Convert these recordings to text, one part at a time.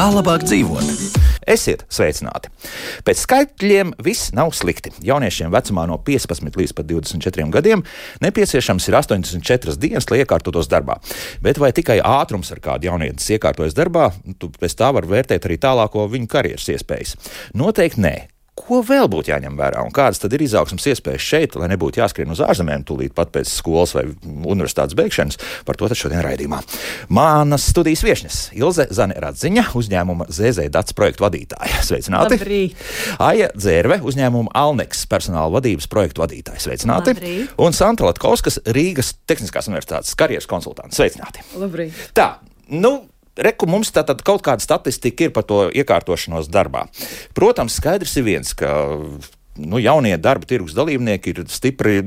Kā labāk dzīvot? Esiet sveicināti! Pēc skaitļiem viss nav slikti. Jauniešiem vecumā no 15 līdz pat 24 gadiem nepieciešams ir 84 dienas, lai iekārtotos darbā. Bet vai tikai ātrums, ar kādu jaunietis iekārtojas darbā, pēc tā var vērtēt arī tālāko viņu karjeras iespējas? Noteikti nē. Ko vēl būtu jāņem vērā un kādas tad ir izaugsmes iespējas šeit, lai nebūtu jāskrien uz ārzemēm tūlīt pat pēc skolas vai universitātes beigšanas? Par to tad šodien raidījumā. Manas studijas viešņas Ilze Zane-Radziņa, uzņēmuma ZZ Dats projektu vadītāja. Sveicināti! Labrīt! Aija Dzērve, uzņēmuma Alneks personāla vadības projektu vadītāja. Sveicināti! Labrīt! Un Santa Latkovskas, Rīgas Tehniskās universitātes karjeras konsultants. Sveicināti! Labrīt! Tā, Reku mums tātad kaut kāda statistika ir par to iekārtošanos darbā. Protams, skaidrs ir viens, ka jaunie darba tirgus dalībnieki ir stipri,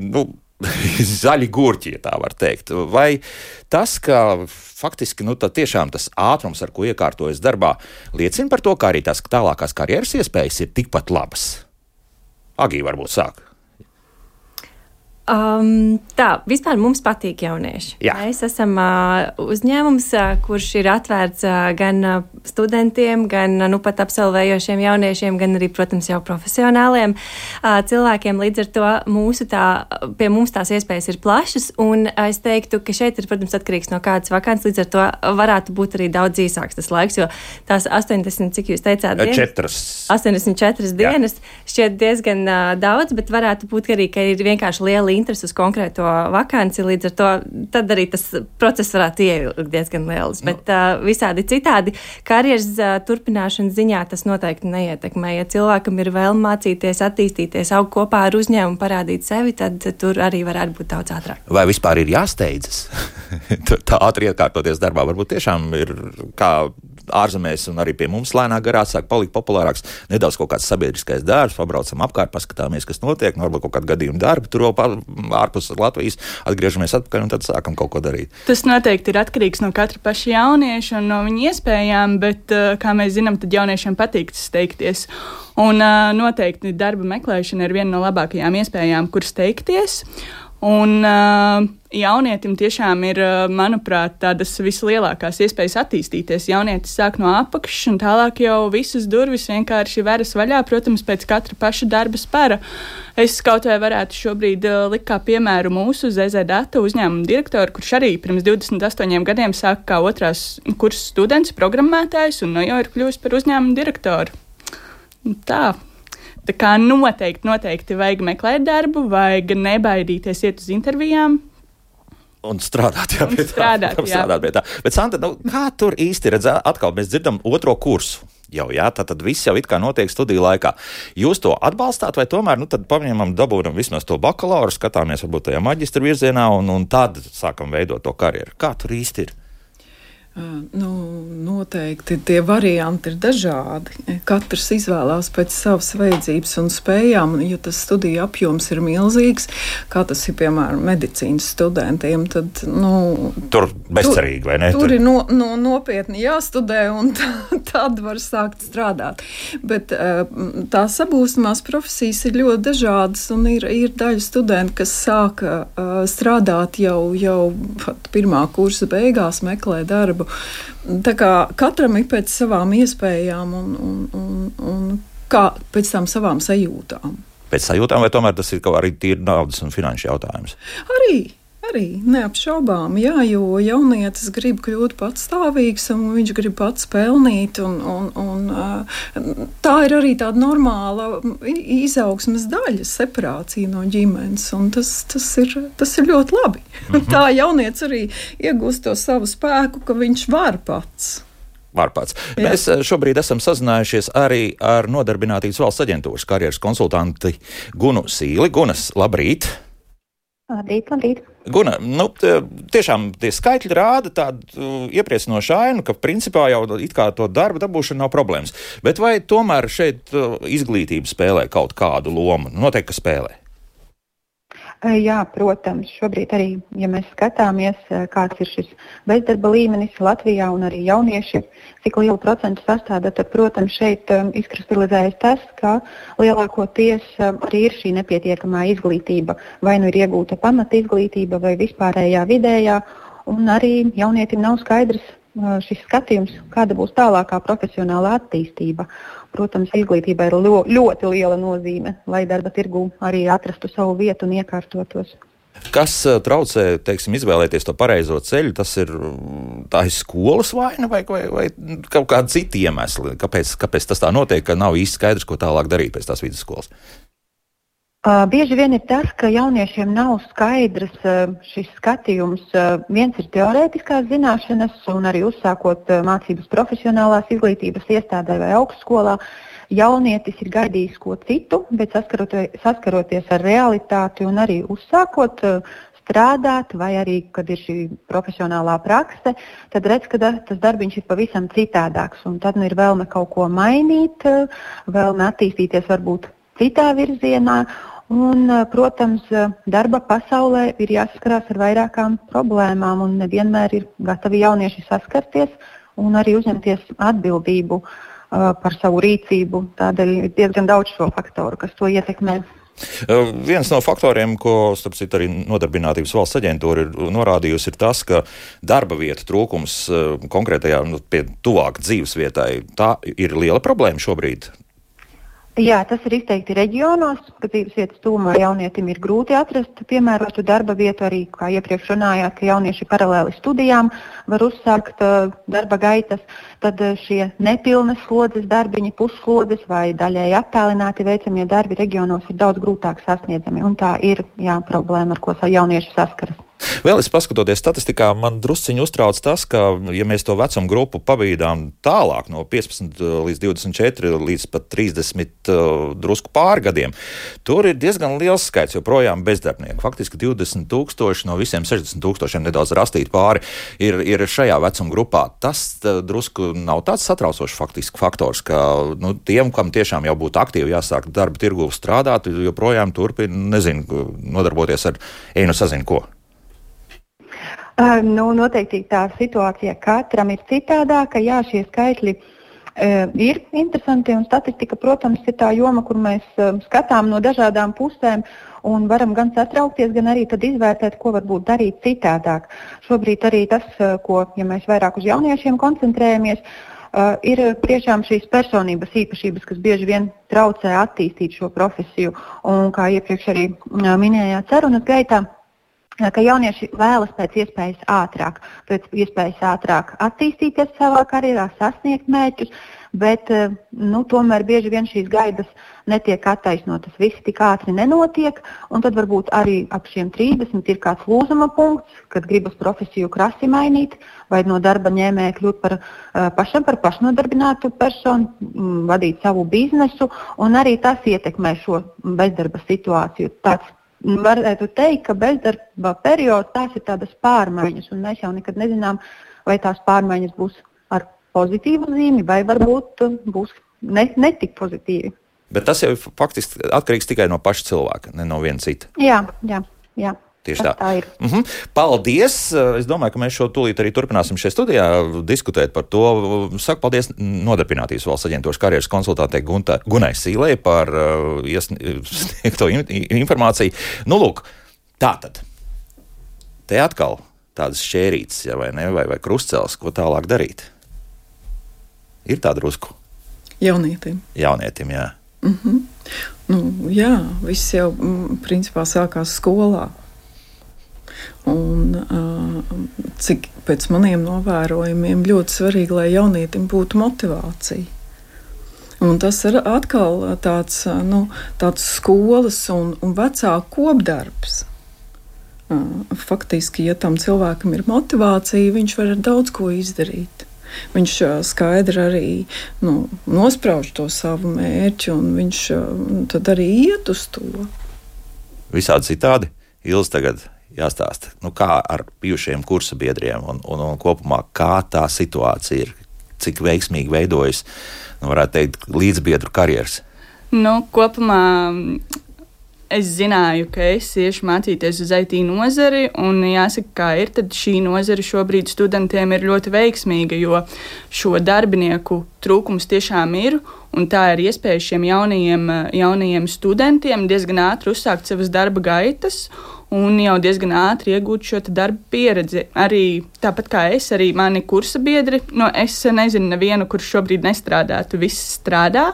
zaļi gurķi, ja tā var teikt. Vai tas, ka faktiski tiešām tas ātrums, ar ko iekārtojas darbā, liecina par to, ka arī tās tālākās karjeras iespējas ir tikpat labas? Agī varbūt sāk. Vispār mums patīk jaunieši. Jā. Mēs esam uzņēmums, kurš ir atvērts gan studentiem, gan pat absolvējošiem jauniešiem, gan arī, protams, jau profesionāliem cilvēkiem. Līdz ar to pie mums tās iespējas ir plašas, un es teiktu, ka šeit ir, protams, atkarīgs no kādas vakants, līdz ar to varētu būt arī daudz īsāks tas laiks, jo tās 80, cik jūs teicāt, 84 dienas šķiet diezgan daudz, bet varētu būt arī, ka ir vienkārši liela interesi uz konkrēto vakanci, līdz ar to tad arī tas process varētu ieilgt diezgan liels. Bet visādi citādi karjeras turpināšanas ziņā tas noteikti neietekmē. Ja cilvēkam ir vēlme mācīties, attīstīties, augt kopā ar uzņēmumu, parādīt sevi, tad tur arī varētu būt daudz ātrāk. Vai vispār ir jāsteidzas? Tā ātri iekārtoties darbā varbūt tiešām ir kā ārzemēs un arī pie mums lēnā garā sāk palikt populārāks nedaudz kaut kāds sabiedriskais darbs, pabraucam apkārt, paskatāmies, kas notiek, varbūt kaut kādu gadījumu darbu, tur ārpus Latvijas, atgriežamies atpakaļ un tad sākam kaut ko darīt. Tas noteikti ir atkarīgs no katra paša jaunieša un no viņa iespējām, bet, kā mēs zinām, tad jauniešiem patīk steigties. Un noteikti darba meklēšana ir viena no labākajām iespējām, kur steigties. Un jaunietim tiešām ir, manuprāt, tādas vislielākās iespējas attīstīties. Jaunietis sāk no apakšas un tālāk jau visas durvis vienkārši veras vaļā, protams, pēc katra paša darba spēra. Es kaut vai varētu šobrīd likt kā piemēru mūsu ZZ Data uzņēmuma direktoru, kurš arī pirms 28 gadiem sāka kā otrās kursa students, programmētājs un jau ir kļuvis par uzņēmuma direktoru. Tā kā noteikti vajag meklēt darbu, vajag nebaidīties iet uz intervijām. Un strādāt, pie tā. Bet, Santa, kā tur īsti redz? Atkal mēs dzirdam otro kursu. Tad viss jau it kā notiek studiju laikā. Jūs to atbalstāt vai tomēr, tad paņemam, dabūjam vismaz to bakalauru, skatāmies varbūt tajā maģistra virzienā un tad sākam veidot to karjeru. Kā tur īsti ir? Noteikti tie varianti ir dažādi. Katrs izvēlās pēc savas vajadzības un spējām, ja tas studiju apjoms ir milzīgs, kā tas ir, piemēram, medicīnas studentiem, tad, tur bezcerīgi, vai ne? Tur ir nopietni jāstudē un tad var sākt strādāt. Bet tā sabūstamās profesijas ir ļoti dažādas un ir daļa studenti, kas sāka strādāt jau pat pirmā kursa beigās, meklē darbu. Tā kā katram ir pēc savām iespējām un kā pēc tam savām sajūtām. Pēc sajūtām vai tomēr tas ir kaut arī tīri naudas un finanšu jautājums? Arī neapšaubām, jo jaunietis grib kļūt patstāvīgs un viņš grib pats pelnīt un tā ir arī tāda normāla izaugsmes daļa, separācija no ģimenes un tas ir ļoti labi. Tā jaunietis arī iegūst to savu spēku, ka viņš var pats. Jā. Mēs šobrīd esam sazinājušies arī ar Nodarbinātības valsts aģentūras karjeras konsultanti Gunu Sīli. Gunas, labrīt! Labrīt. Guna, tiešām tie skaitļi rāda tādu iepriecinošu ainu, ka principā jau it kā to darbu dabūšana nav problēmas. Bet vai tomēr šeit izglītība spēlē kaut kādu lomu? Noteikti, ka spēlē. Jā, protams, šobrīd arī, ja mēs skatāmies, kāds ir šis bezdarba līmenis Latvijā un arī jaunieši, cik lielu procentu sastāda, tad, protams, šeit izkristalizējas tas, ka lielākoties arī ir šī nepietiekamā izglītība, vai nu ir iegūta pamata izglītība vai vispārējā vidējā, un arī jaunietim nav skaidrs, šis skatījums, kāda būs tālākā profesionālā attīstība. Protams, izglītībai ir ļoti liela nozīme, lai darba tirgū arī atrastu savu vietu un iekārtotos. Kas traucē, teiksim, izvēlēties to pareizo ceļu? Tā ir skolas vaina vai kaut kādi citi iemesli? Kāpēc tas tā notiek, ka nav īsti skaidrs, ko tālāk darīt pēc tās vidusskolas? Bieži vien ir tas, ka jauniešiem nav skaidrs šis skatījums. Viens ir teorētiskās zināšanas, un arī uzsākot mācības profesionālās izglītības iestādē vai augstskolā, jaunietis ir gaidījis ko citu, bet saskaroties ar realitāti un arī uzsākot strādāt, vai arī, kad ir šī profesionālā prakse, tad redz, ka tas darbiņš ir pavisam citādāks, un tad ir vēlme kaut ko mainīt, vēlme attīstīties varbūt citā virzienā. Un, protams, darba pasaulē ir jāsaskarās ar vairākām problēmām, un nevienmēr ir gatavi jaunieši saskarties un arī uzņemties atbildību par savu rīcību. Tādēļ ir diezgan daudz šo faktoru, kas to ietekmē. Viens no faktoriem, ko, starp citu, arī Nodarbinātības valsts aģentūra ir norādījusi, ir tas, ka darba vietu trūkums konkrētajā, pie tuvāk dzīves vietai, tā ir liela problēma šobrīd. Jā, tas ir izteikti reģionos, ka dzīves vietas tuvumā jaunietim ir grūti atrast piemērotu darba vietu, arī, kā iepriekš runājāt, ka jaunieši paralēli studijām var uzsākt darba gaitas, tad šie nepilnas slodzes darbiņi, pusslodzes vai daļēji attālināti veicamie darbi reģionos ir daudz grūtāk sasniedzami, un tā ir problēma, ar ko jaunieši saskaras. Vēl es paskatoties statistikā, man drusciņi uztrauc tas, ka, ja mēs to vecumu grupu pabīdām tālāk no 15 līdz 24 līdz pat 30 drusku pāri gadiem, tur ir diezgan liels skaits joprojām bezdarbnieku. Faktiski 20,000 no visiem 60,000 nedaudz rastīti pāri ir šajā vecuma grupā. Tas drusku nav tāds satraucošs faktiski faktors, ka tiem, kam tiešām jau būtu aktīvi jāsāk darba tirgu strādāt, joprojām turpina, nodarboties ar sazinu ko. Noteikti tā situācija katram ir citādāka. Jā, šie skaitļi ir interesanti, un statistika, protams, ir tā joma, kur mēs skatām no dažādām pusēm un varam gan satraukties, gan arī tad izvērtēt, ko varbūt darīt citādāk. Šobrīd arī tas, ja mēs vairāk uz jauniešiem koncentrējamies, ir tiešām šīs personības īpašības, kas bieži vien traucē attīstīt šo profesiju, un kā iepriekš arī minējāt sarunas gaitā, ka jaunieši vēlas pēc iespējas ātrāk attīstīties savā karjerā, sasniegt mērķus, bet tomēr bieži vien šīs gaidas netiek attaisnotas. Visi tik ātri nenotiek, un tad varbūt arī ap šiem 30 ir kāds lūzuma punkts, kad gribas profesiju krasi mainīt, vai no darba ņēmēja kļūt par pašnodarbinātu personu, vadīt savu biznesu, un arī tas ietekmē šo bezdarba situāciju. Varētu teikt, ka bezdarba periods tās ir tādas pārmaiņas, un mēs jau nekad nezinām, vai tās pārmaiņas būs ar pozitīvu zīmi, vai varbūt būs netik pozitīvi. Bet tas jau faktiski atkarīgs tikai no paša cilvēka, ne no viena cita. Jā. Tieši tā ir. Paldies! Es domāju, ka mēs šo tūlīt arī turpināsim šajā studijā diskutēt par to. Saku paldies Nodarbinātības valsts aģentūras karjeras konsultātei Gunai Sīlei par sniegto informāciju. Lūk, tātad. Te atkal tādas šķērītes, vai krustcelis, ko tālāk darīt. Ir tā drusku? Jaunietim, jā. Jā, viss jau principā sākās skolā. Un cik pēc maniem novērojumiem ļoti svarīgi, lai jaunietim būtu motivācija. Un tas ir atkal tāds skolas un vecāku kopdarbs. Faktiski, ja tam cilvēkam ir motivācija, viņš var daudz ko izdarīt. Viņš skaidri arī nosprauž to savu mērķi, un viņš tad arī iet uz to. Visādi citādi. Ilz tagad jāstāsta, kā ar bijušajiem kursa biedriem un kopumā, kā tā situācija ir, cik veiksmīgi veidojas, varētu teikt, līdzbiedru karjeras. Kopumā es zināju, ka es iešu mācīties uz IT nozari, un jāsaka, kā ir, tad šī nozara šobrīd studentiem ir ļoti veiksmīga, jo šo darbinieku trūkums tiešām ir, un tā ir iespēja šiem jaunajiem studentiem diezgan ātri uzsākt savas darba gaitas, un jau diezgan ātri iegūt šo darba pieredzi. Arī tāpat kā es, arī mani kursa biedri, es nezinu nevienu, kurš šobrīd nestrādātu, viss strādā.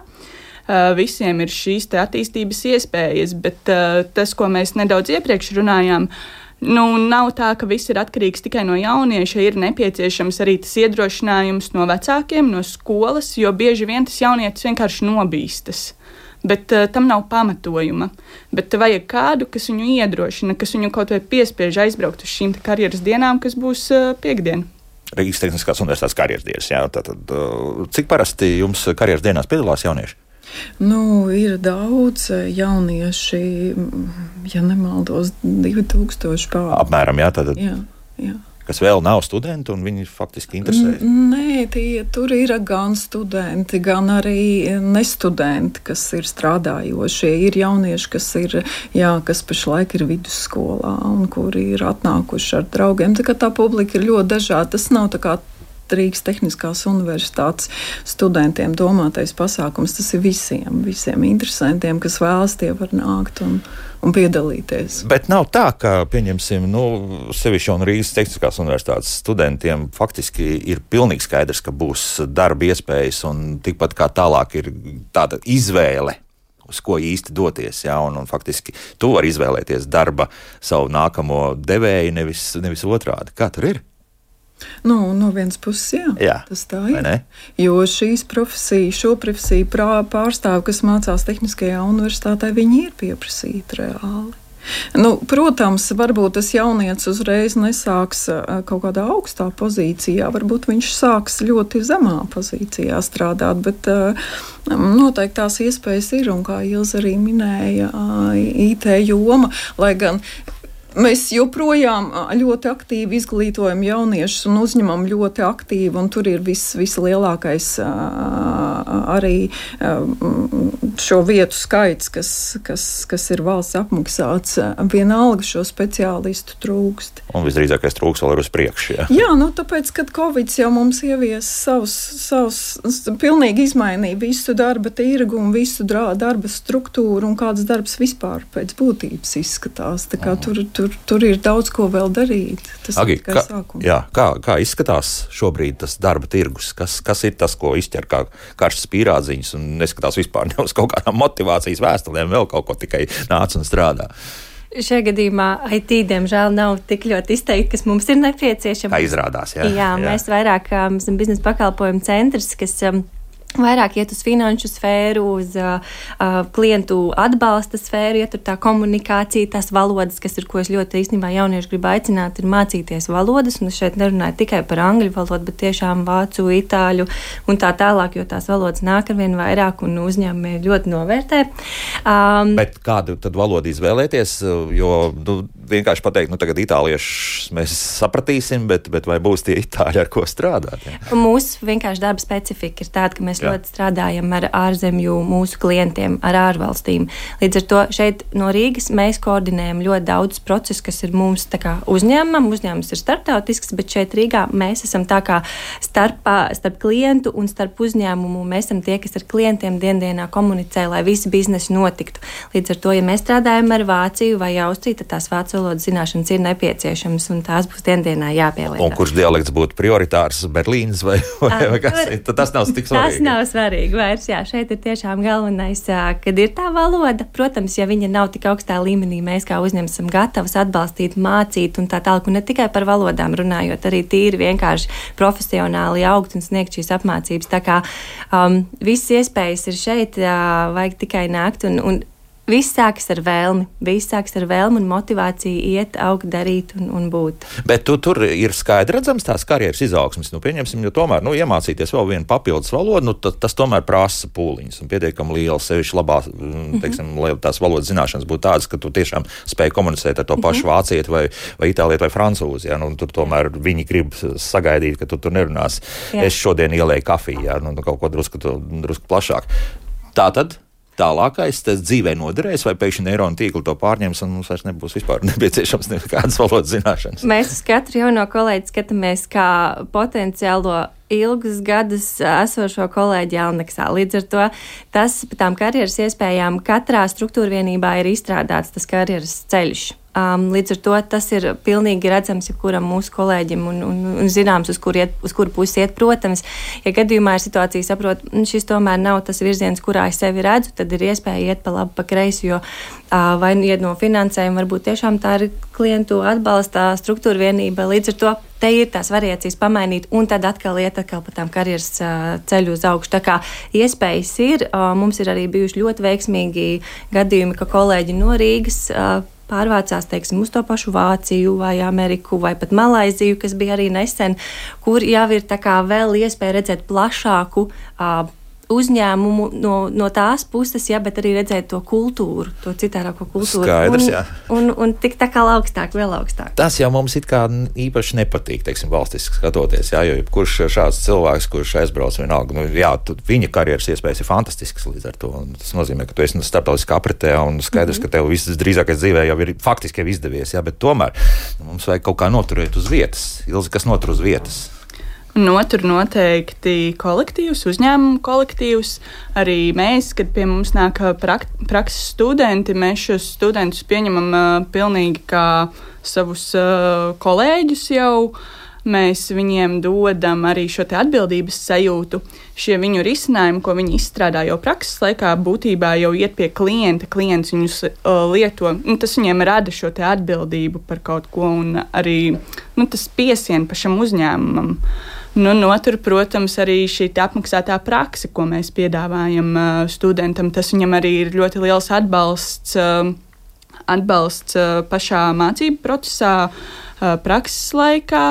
Visiem ir šīs attīstības iespējas, bet tas, ko mēs nedaudz iepriekš runājām, nav tā, ka viss ir atkarīgs tikai no jaunieša, ir nepieciešams arī tas iedrošinājums no vecākiem, no skolas, jo bieži vien tas jaunietis vienkārši nobīstas. Bet tam nav pamatojuma. Bet vajag kādu, kas viņu iedrošina, kas viņu kaut vai piespiež aizbraukt uz šīm karjeras dienām, kas būs piekdien. Rīgas Tehniskās universitātes karjeras dienas. Jā, tātad, cik parasti jums karjeras dienās piedalās jaunieši? Ir daudz jaunieši, ja nemaldos, 2000 pār. Apmēram, jā, tātad. Jā. Kas vēl nav studenti, un viņi faktiski interesē? Nē, tur ir gan studenti, gan arī nestudenti, kas ir strādājošie. Ir jaunieši, kas pašlaik ir vidusskolā un kuri ir atnākuši ar draugiem. Tā publika ir ļoti dažāda. Tas nav tā kā Rīgas Tehniskās universitātes studentiem domātais pasākums. Tas ir visiem interesantiem, kas vēlas, tie var nākt un piedalīties. Bet nav tā, ka, pieņemsim, sevišķi un Rīgas Tehniskās universitātes studentiem faktiski ir pilnīgi skaidrs, ka būs darba iespējas un tikpat kā tālāk ir tāda izvēle, uz ko īsti doties, jā, un faktiski tu vari izvēlēties darba savu nākamo devēju, nevis otrādi. Kā tur ir? No vienas puses, jā, tas tā ir. Jo šo profesiju pārstāvi, kas mācās Tehniskajā universitātē, viņi ir pieprasīti reāli. Protams, varbūt tas jaunietis uzreiz nesāks kaut kādā augstā pozīcijā, varbūt viņš sāks ļoti zemā pozīcijā strādāt, bet noteikti tās iespējas ir, un kā Ilze arī minēja, IT joma, lai gan mēs joprojām ļoti aktīvi izglītojam jauniešus un uzņemam ļoti aktīvi, un tur ir vislielākais arī šo vietu skaits, kas ir valsts apmaksāts. Vienalga šo speciālistu trūkst. Un visdrīzākais trūks vēl ir uz priekšu. Jā, tāpēc, kad Covid jau mums ievies savus pilnīgi izmainīja visu darba tirgu un visu darba struktūru un kāds darbs vispār pēc būtības izskatās. Tā kā tur ir daudz ko vēl darīt. Tas Agi, ir tikai sākums. Jā, kā izskatās šobrīd tas darba tirgus? Kas ir tas, ko izķer kā karšas pīrādziņas un neskatās vispār ne uz kaut kādām motivācijas vēstulēm, vēl kaut ko tikai nāc un strādā? Šajā gadījumā IT, diemžēl, nav tik ļoti izteikti, kas mums ir nepieciešams. Tā izrādās, jā. Jā, mēs vairāk esam biznesa pakalpojumu centrs, kas vairāk iet uz finanšu sfēru, uz klientu atbalsta sfēru, iet tur tā komunikācija, tās valodas, kas ir, ko es ļoti īstenībā jaunieši gribu aicināt, ir mācīties valodas, un es šeit nerunāju tikai par angļu valodu, bet tiešām vācu, itāļu un tā tālāk, jo tās valodas nāk arvien vairāk un uzņēmumi ļoti novērtē. Bet kādu tad valodu izvēlēties, jo vienkārši pateikt, tagad itāliešus mēs sapratīsim, bet vai būs tie itāļi, ar ko strādāt? Ja? Mūsu vienkārši darba specifika ir tāda, ka mēs ļoti strādājam ar ārzemju mūsu klientiem, ar ārvalstīm. Līdz ar to šeit no Rīgas mēs koordinējam ļoti daudz procesu, kas ir mums tā kā uzņēmumam. Uzņēmums ir starptautisks, bet šeit Rīgā mēs esam tā kā starp klientu un starp uzņēmumu. Mēs esam tie, kas ar klientiem dienā komunicē, lai visi biznesi notiktu. Līdz ar to, ja mēs strādājam ar Vāciju vai Austriju, tad tās vācu valodas zināšanas ir nepieciešamas un tās būs dienā jāpielieto. Un kurš dialekts būtu prioritārs, Berlīnas vai kas? Tas nav tik svarīgi. Nav svarīgi vairs, jā, šeit ir tiešām galvenais, kad ir tā valoda. Protams, ja viņa nav tik augstā līmenī, mēs kā uzņēmums esam gatavs atbalstīt, mācīt un tā tālāk, un ne tikai par valodām runājot, arī tīri vienkārši profesionāli augt un sniegt šīs apmācības. Tā kā visas iespējas ir šeit, vajag tikai nākt un viss sākas ar vēlmi un motivāciju iet, augt, darīt un būt. Bet tur ir skaidri redzams tās karjeras izaugsmes. Pieņemsim, jo tomēr iemācīties vēl vienu papildus valodu, tas tomēr prasa pūliņus un pietiekami liela, sevišķi labā, tās valodas zināšanas būtu tādas, ka tu tiešām spēj komunicēt ar to pašu vācieti vai itālieti vai francūzi. Ja? Tur tomēr viņi grib sagaidīt, ka tu tur nerunās. Jā. Es šodien ielēju kafiju, ja? Kaut ko drusku plašāk. Tātad tālākais tas dzīvē noderēs, vai pēkšņi neironu tīkli to pārņems un mums vairs nebūs vispār nepieciešams nekādas valodas zināšanas? Mēs uz katru jauno kolēģi skatāmies kā potenciālo ilgus gadus esošo kolēģi Alneksā. Līdz ar to tas par tām karjeras iespējām katrā struktūra vienībā ir izstrādāts tas karjeras ceļš. Līdz ar to tas ir pilnīgi redzams jebkuram mūsu kolēģim un zināms, uz kuru pusi iet. Protams, ja gadījumā ir situācija, saprot, šis tomēr nav tas virziens, kurā es sevi redzu, tad ir iespēja iet pa labi, pa kreisi, jo vai iet no finansējuma, varbūt tiešām tā ir klientu atbalsta struktūra vienība. Līdz ar to te ir tās variācijas pamainīt, un tad atkal pa tām karjeras ceļu uz augšu. Tā kā iespējas ir, mums ir arī bijuši ļoti veiksmīgi gadījumi, ka kolēģi no Rīgas pārvācās, teiksim, uz to pašu Vāciju vai Ameriku vai pat Malaiziju, kas bija arī nesen, kur jau ir tā kā vēl iespēja redzēt plašāku uzņēmumu no tās puses, bet arī redzēt to kultūru, to citārāko kultūru. Skaidrs, jā. Un tik tā kā augstāk, vēl augstāk. Tas jau mums it kā īpaši nepatīk, teiksim, valstiski skatoties, jā, jo kurš šāds cilvēks, kurš aizbrauc vienalga, viņa karjeras iespējas ir fantastiskas līdz ar to. Tas nozīmē, ka tu esi starptautiskā apritē un skaidrs, ka tev viss drīzākais dzīvē jau ir faktiski jau izdevies, bet tomēr mums vajag kaut kā noturēt uz vietas. Ilzi, kas notur uz vietas? Notur noteikti kolektīvs, uzņēmumu kolektīvs. Arī mēs, kad pie mums nāk prakses studenti, mēs šos studentus pieņemam pilnīgi kā savus kolēģus jau. Mēs viņiem dodam arī šo te atbildības sajūtu. Šie viņu risinājumi, ko viņi izstrādā jau prakses laikā, būtībā jau iet pie klienta. Klients viņus lieto. Tas viņiem rada šo te atbildību par kaut ko un arī tas piesien pašam uzņēmumam. Notur, protams, arī šī apmaksātā prakse, ko mēs piedāvājam studentam. Tas viņam arī ir ļoti liels atbalsts pašā mācību procesā, prakses laikā.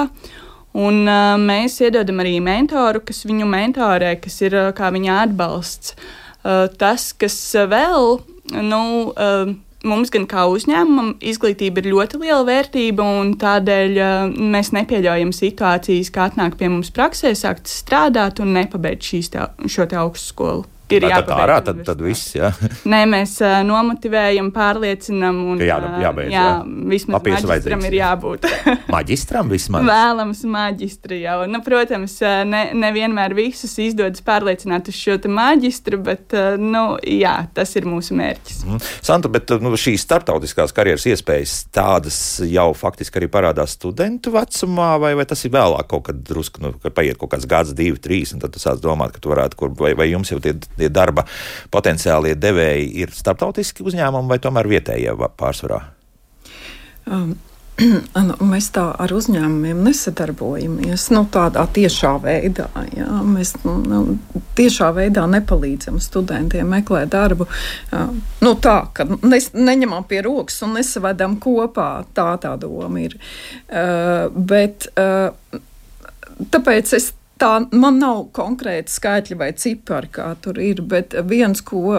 Un mēs iedodam arī mentoru, kas viņu mentorē, kas ir kā viņa atbalsts. Tas, kas vēl, mums gan kā uzņēmumam izglītība ir ļoti liela vērtība, un tādēļ mēs nepieļaujam situācijas, kā atnāk pie mums praksē, sākt strādāt un nepabeigt šo te augstskolu. Ir jāpabeidz. Tad viss, jā. Nē, mēs nomotivējam, pārliecinam un jābeidz, vismaz maģistram ir jābūt. Maģistram vismaz? Vēlams maģistri jau. Protams, nevienmēr visus izdodas pārliecināt uz šo te maģistru, bet, tas ir mūsu mērķis. Santa, bet šīs starptautiskās karjeras iespējas tādas jau faktiski arī parādās studentu vecumā, vai tas ir vēlāk kaut kad drusku, kad paiet kaut kāds gads, 2, 3, un tad tu sāc domāt, ka tu varētu, vai jums jau tie darba potenciālie devēji ir starptautiski uzņēmumi vai tomēr vietējie pārsvarā? Mēs tā ar uzņēmumiem nesadarbojamies tādā tiešā veidā. Jā. Mēs tiešā veidā nepalīdzam studentiem meklēt darbu. Ka neņemam pie rokas un nesavedam kopā. Tā doma ir. Tāpēc man nav konkrēti skaitļi vai cipari, kā tur ir, bet viens, ko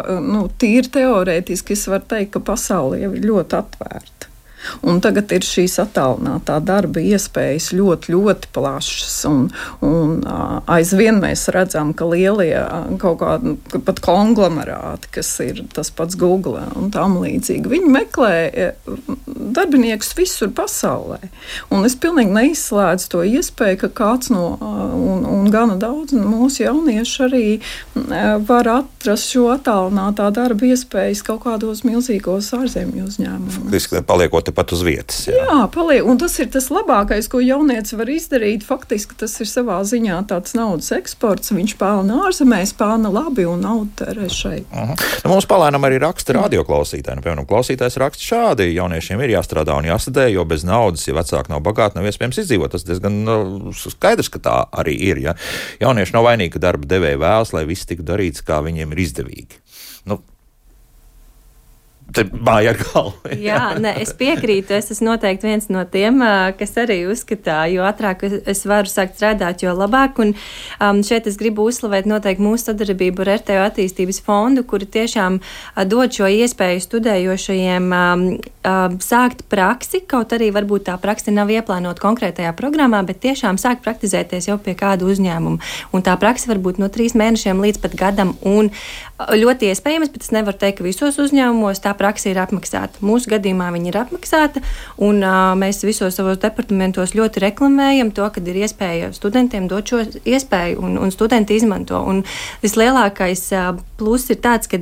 tīri teorētiski es varu teikt, ka pasaule jau ir ļoti atvērta. Un tagad ir šīs attālinātā darba iespējas ļoti, ļoti plašas. Un aizvien mēs redzam, ka lielie kaut kādi pat konglomerāti, kas ir tas pats Google un tam līdzīgi, viņi meklē darbiniekus visur pasaulē. Un es pilnīgi neizslēdzu to iespēju, ka kāds un gana daudz mūsu jaunieši arī var atrast šo attālinātā darba iespējas kaut kādos milzīgos ārzemju uzņēmumos. Paliekot pat uz vietas. Jā, paliek. Un tas ir tas labākais, ko jaunietis var izdarīt. Faktiski tas ir savā ziņā tāds naudas eksports. Viņš pelna ārzemēs, pelna labi un naudu tērē šeit. Mums palēnām arī raksta radioklausītāji. Piemēram, klausītājs raksta šādi: jauniešiem ir jāstrādā un jāstudē, jo bez naudas, ja vecāki nav bagāti, nav iespējams izdzīvot. Tas diezgan skaidrs, ka tā arī ir. Ja? Jaunieši nav vainīgi, ka darba devēji vēlas, lai viss tiktu darīts, kā viņiem ir izdevīgi. Te māja ar galvu. Es piekrītu. Es esmu noteikti viens no tiem, kas arī uzskatā, jo ātrāk es varu sākt strādāt, jo labāk. Un šeit es gribu uzslavēt noteikti mūsu sadarbību ar RTO attīstības fondu, kuri tiešām dod šo iespēju studējošajiem sākt praksi, kaut arī varbūt tā prakse nav ieplānota konkrētajā programmā, bet tiešām sākt praktizēties jau pie kāda uzņēmuma. Un tā prakse var būt no 3 mēnešiem līdz pat gadam. Un ļoti iespējams, bet es nevaru teikt, ka visos uzņēmumos tā praksa ir apmaksāta. Mūsu gadījumā viņa ir apmaksāta, un mēs visos savos departamentos ļoti reklamējam to, ka ir iespēja studentiem dot šo iespēju, un studenti izmanto. Un vislielākais pluss ir tāds, ka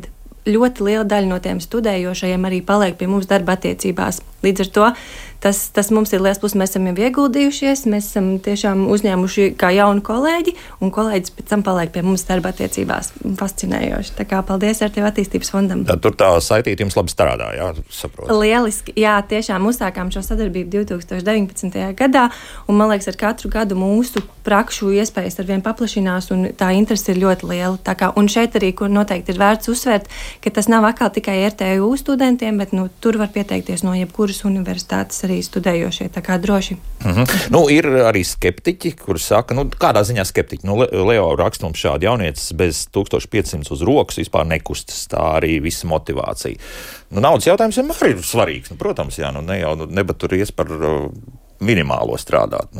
ļoti liela daļa no tiem studējošajiem arī paliek pie mums darba attiecībās. Līdz ar to tas mums ir liels plus. Mēs esam jau ieguldījušies, mēs esam tiešām uzņēmuši kā jaunu kolēģi, un kolēģis pēc tam paliek pie mums darba attiecībās. Fascinējoši. Tā kā paldies ar tevi attīstības fondam. Tur tā saitīte jums labi strādā, jā, saprotu. Lieliski, jā, tiešām uzsākām šo sadarbību 2019. gadā, un man liekas, ar katru gadu mūsu prakšu iespējas arvien paplašinās, un tā interese ir ļoti liela. Tā kā, un šeit arī, kur noteikti ir vērts uzsvērt, ka tas nav atkal tikai RTU studentiem, bet tur var pieteikties no jebkuras universitātes arī studējošie, tā kā droši. Ir arī skeptiķi, kuri saka, kādā ziņā skeptiķi? Leo raksta mums šādi: jaunietis bez 1500 uz rokas vispār nekustas, tā arī visa motivācija. Naudas jautājums vienmēr ir svarīgs, protams, jā, nebaturies par minimālo strādāt.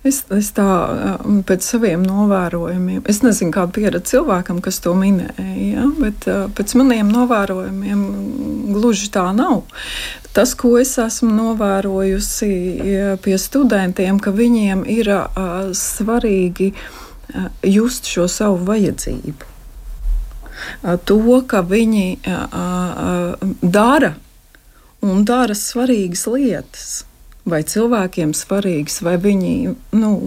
Es tā pēc saviem novērojumiem, es nezinu, kāda pieredze cilvēkam, kas to minēja, ja? Bet pēc maniem novērojumiem gluži tā nav. Tas, ko es esmu novērojusi pie studentiem, ka viņiem ir svarīgi just šo savu vajadzību. To, ka viņi dara svarīgas lietas. Vai cilvēkiem svarīgs, vai viņi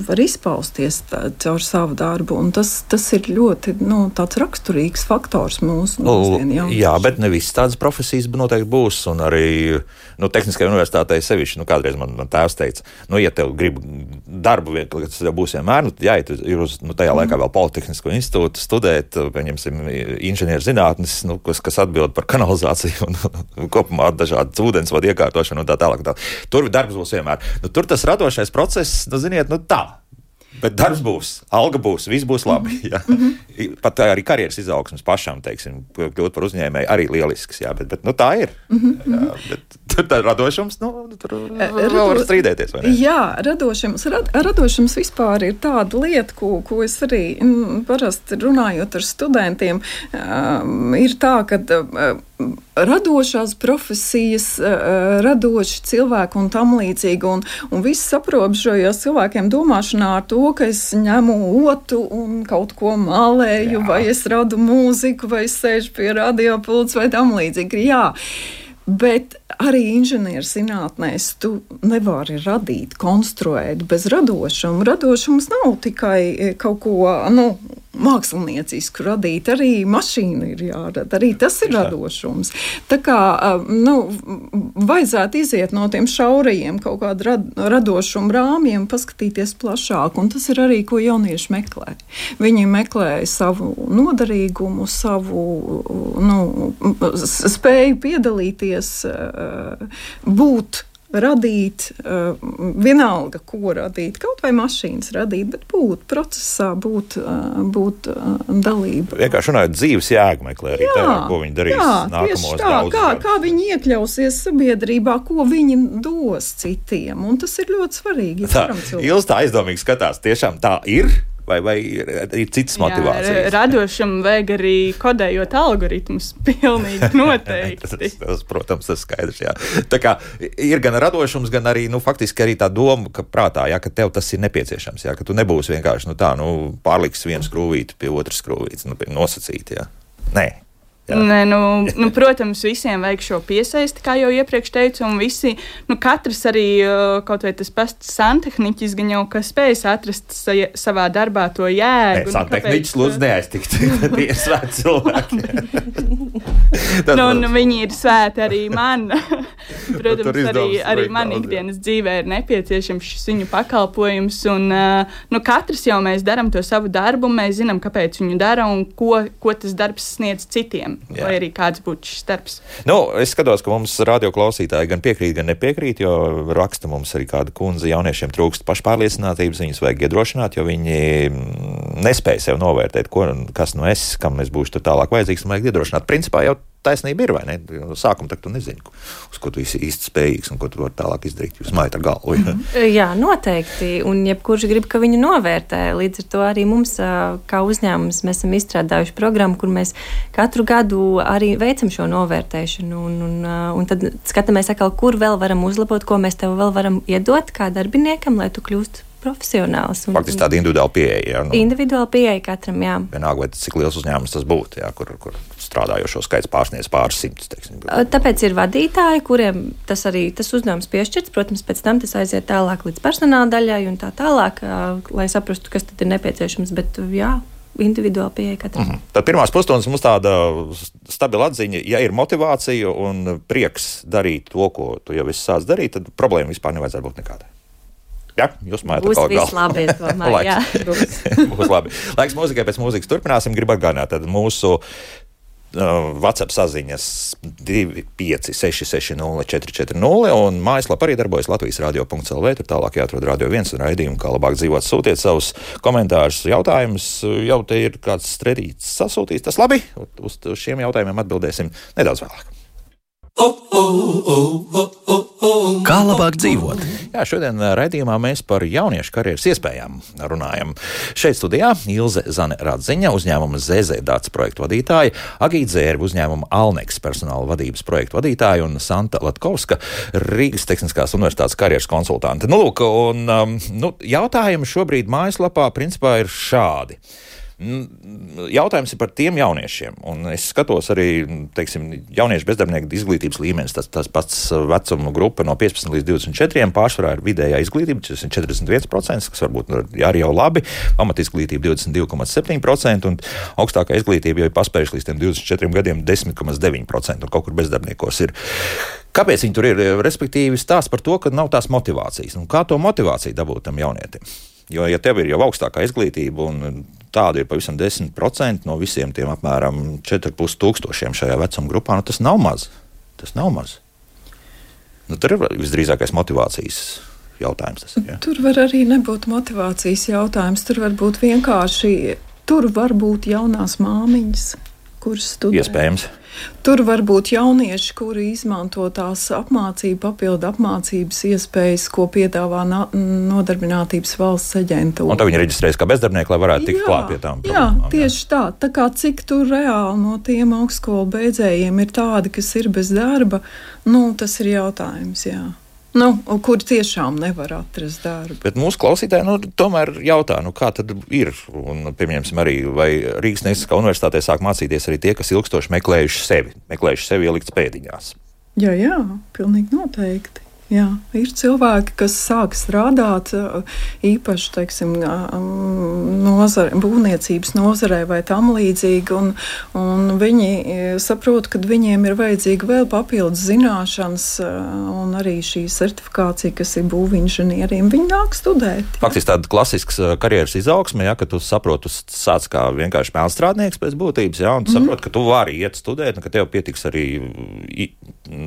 var izpausties caur savu darbu. Un tas ir ļoti tāds raksturīgs faktors mūsu mūsdienu jauniešiem. Jā, bet ne visas tādas profesijas noteikti būs. Un arī Tehniskajā universitātē sevišķi, kādreiz man tēvs teica, ja tev grib darbu, kas tev būs vienmēr, jāiet ir uz tajā laikā vēl Politehnisko institūtu studēt, pieņemsim, inženierzinātnes, kas atbild par kanalizāciju un kopumā dažādas ūdensvadu iekārtošanu un tā tālāk. Tur darbs būs vienmēr. Tur tas radošais process, ziniet, tā. Bet darbs būs, alga būs, viss būs labi. Jā. Pat arī karjeras izaugsmes pašam, teiksim, kļūt par uzņēmēju arī lielisks, jā, bet tā ir. Jā, bet tur tā radošums, tur vēl var strīdēties, vai ne? Jā, radošums vispār ir tāda lieta, ko es arī parasti runājot ar studentiem, ir tā, ka radošās profesijas, radoši cilvēki un tam līdzīgi, un viss aprobežojās cilvēkiem domāšanā ar to, ka es ņemu otu un kaut ko malēju, vai es radu mūziku, vai es sēžu pie radiopults vai tam līdzīgi. Jā. Bet arī inženierzinātnēs tu nevari radīt, konstruēt bez radošuma. Radošums nav tikai kaut ko, māksliniecisku radīt, arī mašīna ir jārada, arī tas ir radošums. Tā kā, vajadzētu iziet no tiem šaurajiem kaut kādu radošumu rāmjiem, paskatīties plašāk, un tas ir arī, ko jaunieši meklē. Viņi meklē savu noderīgumu, savu, spēju piedalīties, būt, radīt, vienalga, ko radīt, kaut vai mašīnas radīt, bet būt procesā, būt dalība. Vienkārši runājot, dzīves jēga meklē arī tajā, ko viņi darīs nākamos daudzus gadus. Kā viņi iekļausies sabiedrībā, ko viņi dos citiem, un tas ir ļoti svarīgi. Ilze tā aizdomīgi skatās, tiešām tā ir? Vai ir citas motivācijas? Radošam vajag arī kodējot algoritmus, pilnīgi noteikti. tas, protams, tas skaidrs, jā. Tā kā ir gan radošums, gan arī, faktiski arī tā doma, ka prātā, jā, ka tev tas ir nepieciešams, jā, ka tu nebūsi vienkārši, pārliks vienu skrūvīti pie otras skrūvītes, pie nosacīti, jā. Nē. Nē, protams, visiem vajag šo piesaisti, kā jau iepriekš teicu, un visi, katrs arī, kaut vai tas pats santehniķis, gan jau, kas spējas atrast savā darbā to jēgu. Nē, santehniķis lūdzu neaiztikt, tie ir svēti cilvēki. Viņi ir svēti arī man. Protams, arī man ikdienas dzīvē ir nepieciešams šis viņu pakalpojums, un katrs jau mēs daram to savu darbu, mēs zinām, kāpēc viņu dara un ko tas darbs sniedz citiem. Jā. Vai arī kāds būtu šis darbs? Es skatos, ka mums radioklausītāji gan piekrīt, gan nepiekrīt, jo raksta mums arī kāda kundze, jauniešiem trūkst pašpārliecinātības, viņus vajag iedrošināt, jo viņi nespēja sev novērtēt, kas es, kam es būšu tur tālāk vajadzīgs, un vajag iedrošināt. Principā jau taisnība ir, vai ne? Sākumā tak tu nezini, uz ko tu esi īsti spējīgs un ko tu vari tālāk izdarīt. Jūs mājat ar galvu. Jā, noteikti. Un jebkurš grib, ka viņu novērtē. Līdz ar to arī mums, kā uzņēmums, mēs esam izstrādājuši programmu, kur mēs katru gadu arī veicam šo novērtēšanu. Un tad skatāmies atkal, kur vēl varam uzlabot, ko mēs tev vēl varam iedot kā darbiniekam, lai tu kļūst profesionāls. Faktiski tāda individuāla pieeja. Individuāla pieeja katram, jā. Vienalga, vai cik liels uzņēmums tas būtu, jā, kur strādājošo skaits pārsniedz pāris simtus, teiksim. Tāpēc ir vadītāji, kuriem tas uzdevums piešķirts. Protams, pēc tam tas aiziet tālāk līdz personāla daļai un tā tālāk, lai saprastu, kas tad ir nepieciešams. Bet, jā, individuāli pieeja katram. Tad pirmās pusstundas mums tāda stabila atziņa, ja ir motivācija un prieks darīt to, ko tu jau esi sācis darīt, tad problēma vispār nevajadzētu būt nekādai. Jā, jūs mājat būs viss labi, es domāju, jā. Būs labi. Laiks mūzikai, pēc mūzikas turpināsim. Gribu atgādināt, tad mūsu WhatsApp saziņas 256604440 un mājaslapā arī darbojas Latvijas radio.lv. Tur tālāk jāatrod Radio 1 un raidījumu, kā labāk dzīvot. Sūtiet savus komentārus, jautājumus. Jau te ir kāds stredīts sasūtījis. Tas labi. Uz šiem jautājumiem atbildēsim nedaudz vēlāk. Kā labāk dzīvot? Jā, šodien raidījumā mēs par jauniešu karjeras iespējām runājam. Šeit studijā Ilze Zane Radziņa, uzņēmuma ZZ Dats projektu vadītāja, Agīta Zērba, uzņēmuma Alneks personāla vadības projektu vadītāja un Santa Latkovska, Rīgas Tehniskās universitātes karjeras konsultante. Lūk, un jautājumi šobrīd mājaslapā principā ir šādi. Jautājums ir par tiem jauniešiem, un es skatos arī, teiksim, jauniešu bezdarbnieku izglītības līmenis, tas pats vecuma grupa no 15 līdz 24, pārsvarā ir vidējā izglītība, tas ir 41%, kas varbūt arī jau labi, pamatizglītība 22,7%, un augstākā izglītība jau ir paspējuši līdz tiem 24 gadiem 10,9%, un kaut kur bezdarbniekos ir. Kāpēc viņi tur ir? Respektīvi stāsts par to, ka nav tās motivācijas, un kā to motivāciju dabūt tam jaunietim? Jo, ja tev ir jau augstākā izglītība, un tāda ir pavisam 10% no visiem tiem apmēram 4,5 tūkstošiem šajā vecuma grupā, tas nav maz. Tas nav maz. Tur ir visdrīzākais motivācijas jautājums. Tur var arī nebūt motivācijas jautājums. Tur var būt vienkārši, tur var būt jaunās māmiņas, kuras studē. Iespējams. Tur var būt jaunieši, kuri izmanto tās papildu apmācības iespējas, ko piedāvā Nodarbinātības valsts aģentūra. Un tad viņi reģistrējas kā bezdarbnieki, lai varētu tikt klāt pie tām problēmām. Jā, tieši tā. Tā kā cik tur reāli no tiem augstskolu beidzējiem ir tādi, kas ir bez darba, tas ir jautājums, jā. Kur tiešām nevar atrast darbu. Bet mūsu klausītāji tomēr jautā, kā tad ir? Un, piemēram, arī vai Rīgas Tehniskā universitātē sāk mācīties arī tie, kas ilgstoši meklējuši sevi ielikt pēdiņās. Jā, pilnīgi noteikti. Jā, ir cilvēki, kas sāk strādāt īpaši, teiksim, būvniecības nozarē vai tam līdzīgi, un viņi saprot, ka viņiem ir vajadzīga vēl papildus zināšanas un arī šī certifikācija, kas ir būvinženieriem. Viņi nāk studēt. Jā. Faktiski tāda klasisks karjeras izaugsme, ka tu saproti, tu sāc kā vienkārši mēlstrādnieks pēc būtības, un tu saproti, ka tu vari iet studēt, un ka tev pietiks arī,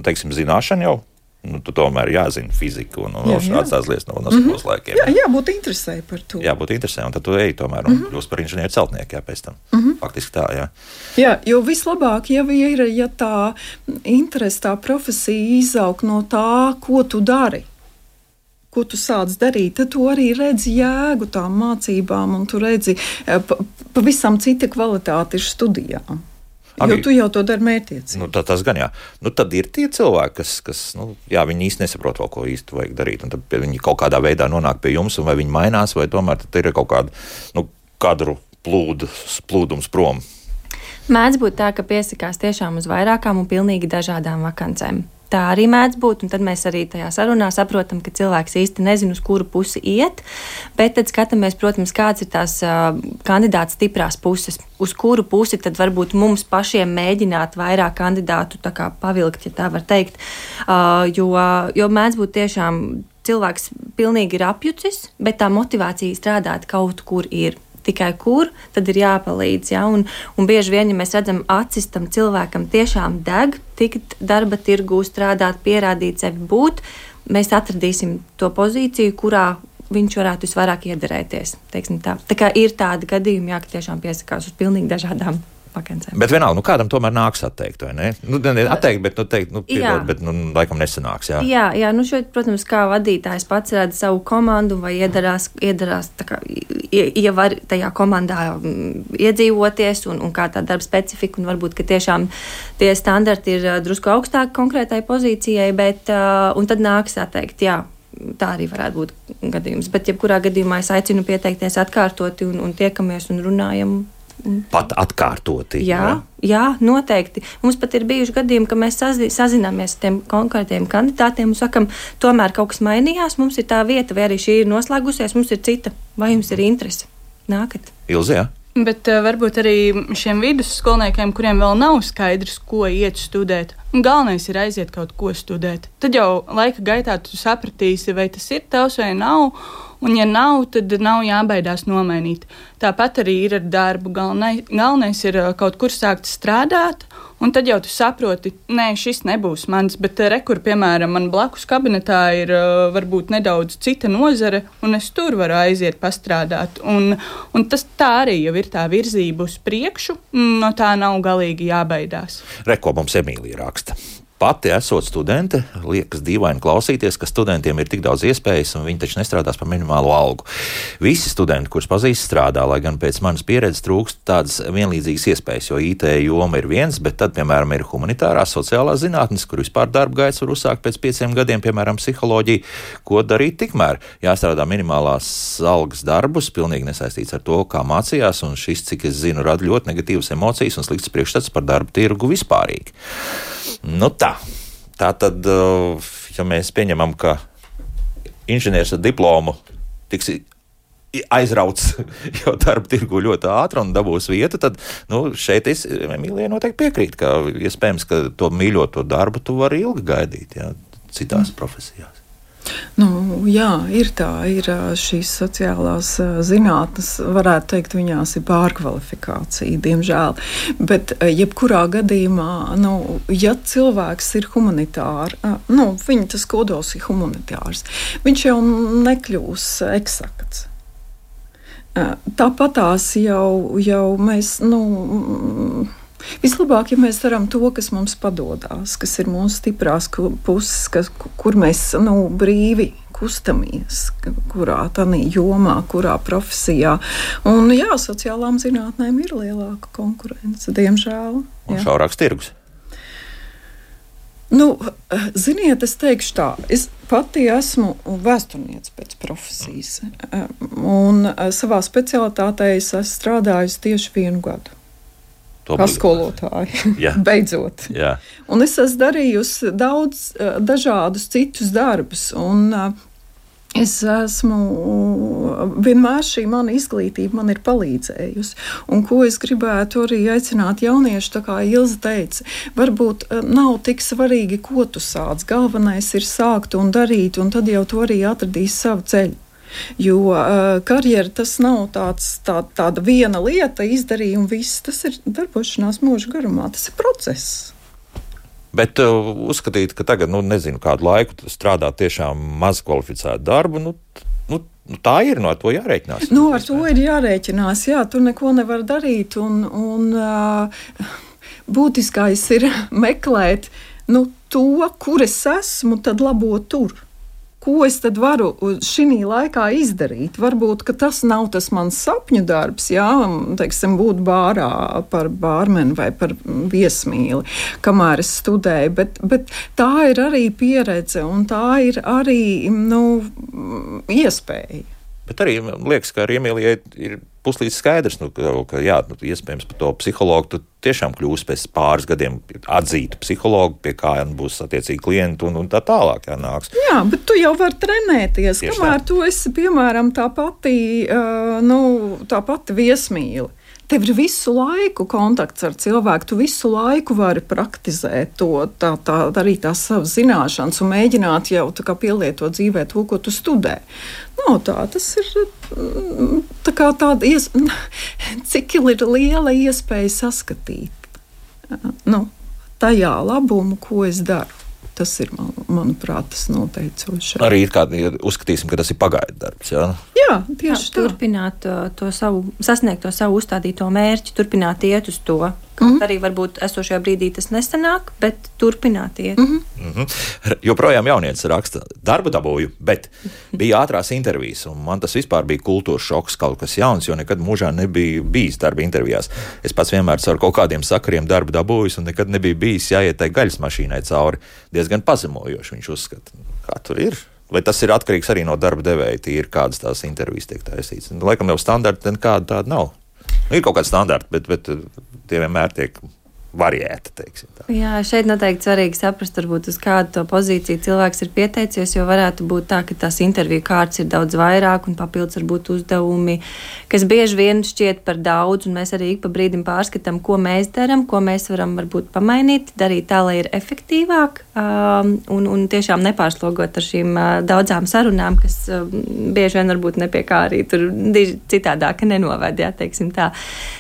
teiksim, zināšana jau. Tu tomēr jāzina fizika un šādas tās lietas no skolas laikiem. Jā, jābūt interesē par to. Jābūt interesē, un tad tu ej tomēr un kļūst par inženieru celtnieku, pēc tam. Faktiski tā, jā. Jā, jo vislabāk jau ir, ja tā interese, tā profesija izaug no tā, ko tu dari. Ko tu sāc darīt, tad tu arī redzi jēgu tām mācībām, un tu redzi pavisam cita kvalitāte ir studijām. Jo tu jau to dari mērķiecīgi. Tas gan jā. Tad ir tie cilvēki, kas viņi īsti nesaprot vēl, ko īsti vajag darīt. Un tad viņi kaut kādā veidā nonāk pie jums, un vai viņi mainās, vai tomēr tad ir kaut kāda kadru plūdums prom. Mēdz būt tā, ka piesakās tiešām uz vairākām un pilnīgi dažādām vakancēm. Tā arī mēdz būt, un tad mēs arī tajā sarunā saprotam, ka cilvēks īsti nezina, uz kuru pusi iet, bet tad skatāmies, protams, kāds ir tās kandidāta stiprās puses, uz kuru pusi tad varbūt mums pašiem mēģināt vairāk kandidātu tā kā pavilkt, ja tā var teikt, jo mēdz būt tiešām cilvēks pilnīgi ir apjucis, bet tā motivācija strādāt kaut kur ir. Tikai kur, tad ir jāpalīdz. Ja? Un bieži vien, ja mēs redzam, acis tam cilvēkam tiešām deg, tikt darba tirgū strādāt, pierādīt sevi būt, mēs atradīsim to pozīciju, kurā viņš varētu visvairāk iederēties. Tā kā ir tādi gadījumi, ka tiešām piesakās uz pilnīgi dažādām vakancēm. Bet vienalga, kādam tomēr nāks atteikt, vai ne? Atteikt, bet teikt, piedod, bet laikam nesanāks, jā. Jā, šeit, protams, kā vadītājs pats redz savu komandu vai iedarās tā kā, ja var tajā komandā iedzīvoties un kā tā darba specifika, un varbūt, ka tiešām tie standarti ir drusku augstāki konkrētai pozīcijai, bet, un tad nāks atteikt, jā. tā arī varētu būt gadījums. Bet jebkurā gadījumā es aicinu pieteikties atkārtoti un tiekamies un runājam. Pat atkārtoti. Jā, noteikti. Mums pat ir bijuši gadījumi, ka mēs sazināmies ar tiem konkrētiem kandidātiem un sakam, tomēr kaut kas mainījās, mums ir tā vieta, vai arī šī ir noslēgusies, mums ir cita, vai jums ir interese. Nākat. Ilze, jā? Bet varbūt arī šiem vidusskolniekiem, kuriem vēl nav skaidrs, ko iet studēt, un galvenais ir aiziet kaut ko studēt. Tad jau laika gaitā tu sapratīsi, vai tas ir tavs vai nav, un ja nav, tad nav jābaidās nomainīt. Tāpat arī ir ar darbu. Galvenais ir kaut kur sākt strādāt, un tad jau tu saproti, nē, šis nebūs mans, bet rekur, piemēram, man blakus kabinetā ir varbūt nedaudz cita nozare, un es tur varu aiziet pastrādāt. Un tas tā arī jau ir tā virzība uz priekšu, no tā nav galīgi jābaidās. Ko mums Emīlija raksta. Pati esot studente, liekas dīvaini klausīties, ka studentiem ir tik daudz iespējas, un viņi taču nestrādās par minimālo algu. Visi studenti, kurus pazīst, strādā, lai gan pēc manas pieredzes trūkst tādas vienlīdzīgas iespējas, jo IT joma ir viens, bet tad, piemēram, ir humanitārās sociālās zinātnes, kur vispār darba gaits var uzsākt pēc 5 gadiem, piemēram, psiholoģija. Ko darīt tikmēr? Jāstrādā minimālās algas darbus, pilnīgi nesaistīts ar to, kā mācījās, un šis, cik es zinu, rada ļoti negatīvas emocijas un slikts priekšstats par darba tirgu vispārīgi. Nu tā tad, ja mēs pieņemam, ka inženieris ar diplomu tiks aizrauts jau darba tirgu ļoti ātri un dabūs vietu, tad šeit es Emīlijai noteikti piekrītu, ka iespējams, ka to mīļoto darbu tu vari ilgi gaidīt, citās profesijās. Jā, ir tā, ir šīs sociālās zinātnes, varētu teikt, viņās ir pārkvalifikācija, diemžēl. Bet jebkurā gadījumā, ja cilvēks ir humanitārs, viņa tas kodols ir humanitārs, viņš jau nekļūs eksakts. Tāpatās jau mēs, vislabāk, ja mēs darām to, kas mums padodas, kas ir mūsu stiprās puses, kur mēs brīvi kustamies, kurā tādā jomā, kurā profesijā. Un sociālām zinātnēm ir lielāka konkurence, diemžēl. Un šaurāks tirgus. Ziniet, es teikšu tā, es pati esmu vēsturniece pēc profesijas. Un savā specialitātē es esmu strādājusi tieši 1 gadu. Kā skolotāji, beidzot. Jā. Un es esmu darījusi daudz dažādus citus darbus, un es esmu, vienmēr šī mana izglītība man ir palīdzējusi. Un ko es gribētu arī aicināt jauniešu, tā kā Ilze teica, varbūt nav tik svarīgi, ko tu sāc. Galvenais ir sākt un darīt, un tad jau tu arī atradīsi savu ceļu. Jo karjera tas nav tāda viena lieta, izdarīja un viss. Tas ir darbošanās mūža garumā, tas ir process. Bet uzskatīt, ka tagad, nezinu, kādu laiku strādāt tiešām maz kvalificētu darbu, tā ir, ar to jārēķinās. Ar to ir jārēķinās, tu neko nevar darīt, un būtiskais ir meklēt to, kur es esmu, tad labot tur. Ko es tad varu šī laikā izdarīt? Varbūt, ka tas nav tas mans sapņu darbs, teiksim, būt bārā par bārmeni vai par viesmīli, kamēr es studēju, bet tā ir arī pieredze un tā ir arī, iespēja. Bet arī liekas, ka ar Emīlijai ir puslīdz skaidrs, ka iespējams par to psihologu tu tiešām kļūsi pēc pāris gadiem atzītu psihologu, pie kā būs attiecīgi klienti un tā tālāk nāks. Jā, bet tu jau vari trenēties, tieši kamēr tu esi, piemēram, tā pati viesmīle. Tev ir visu laiku kontakts ar cilvēku, tu visu laiku vari praktizēt to, arī tās savas zināšanas un mēģināt jau pielietot dzīvē to, ko tu studē. Tas ir cik ir liela iespēja saskatīt tajā labumu, ko es daru. Tas ir, manuprāt, tas noteicošais. Arī uzskatīsim, ka tas ir pagaidu darbs, jā? Jā, tieši tā. Turpināt sasniegt to savu uzstādīto mērķi, turpināt iet uz to. Arī varbūt esošajā brīdī tas nesanāk, bet turpināt iet. Joprojām jaunietis raksta, darbu dabūju, bet bija ātrās intervijas, un man tas vispār bija kultūras šoks, kaut kas jauns, jo nekad mūžā nebija bijis darba intervijās. Es pats vienmēr caur kaut kādiem sakariem darbu dabūjus, un nekad nebija bijis jāiet tai gaļas mašīnai cauri. Diezgan pazemojoši viņš uzskata. Kā tur ir? Vai tas ir atkarīgs arī no darba devēja, ir kādas tās intervijas tiek taisītas? Laikam jau standarti nekāda tāda nav. Ir kaut kāda standarta, bet tie vienmēr tiek variēta, teiksim tā. Jā, šeit noteikti svarīgi saprast, varbūt uz kādu to pozīciju cilvēks ir pieteicies, jo varētu būt tā, ka tās interviju kārtas ir daudz vairāk un papildus varbūt uzdevumi, kas bieži vien šķiet par daudz, un mēs arī ik pa brīdim pārskatām, ko mēs darām, ko mēs varam varbūt pamainīt, darīt tā, lai ir efektīvāk, un tiešām nepārslogot ar šīm daudzām sarunām, kas bieži vien varbūt nepie kā arī tur citādāk nenoved, jā, teiksim tā.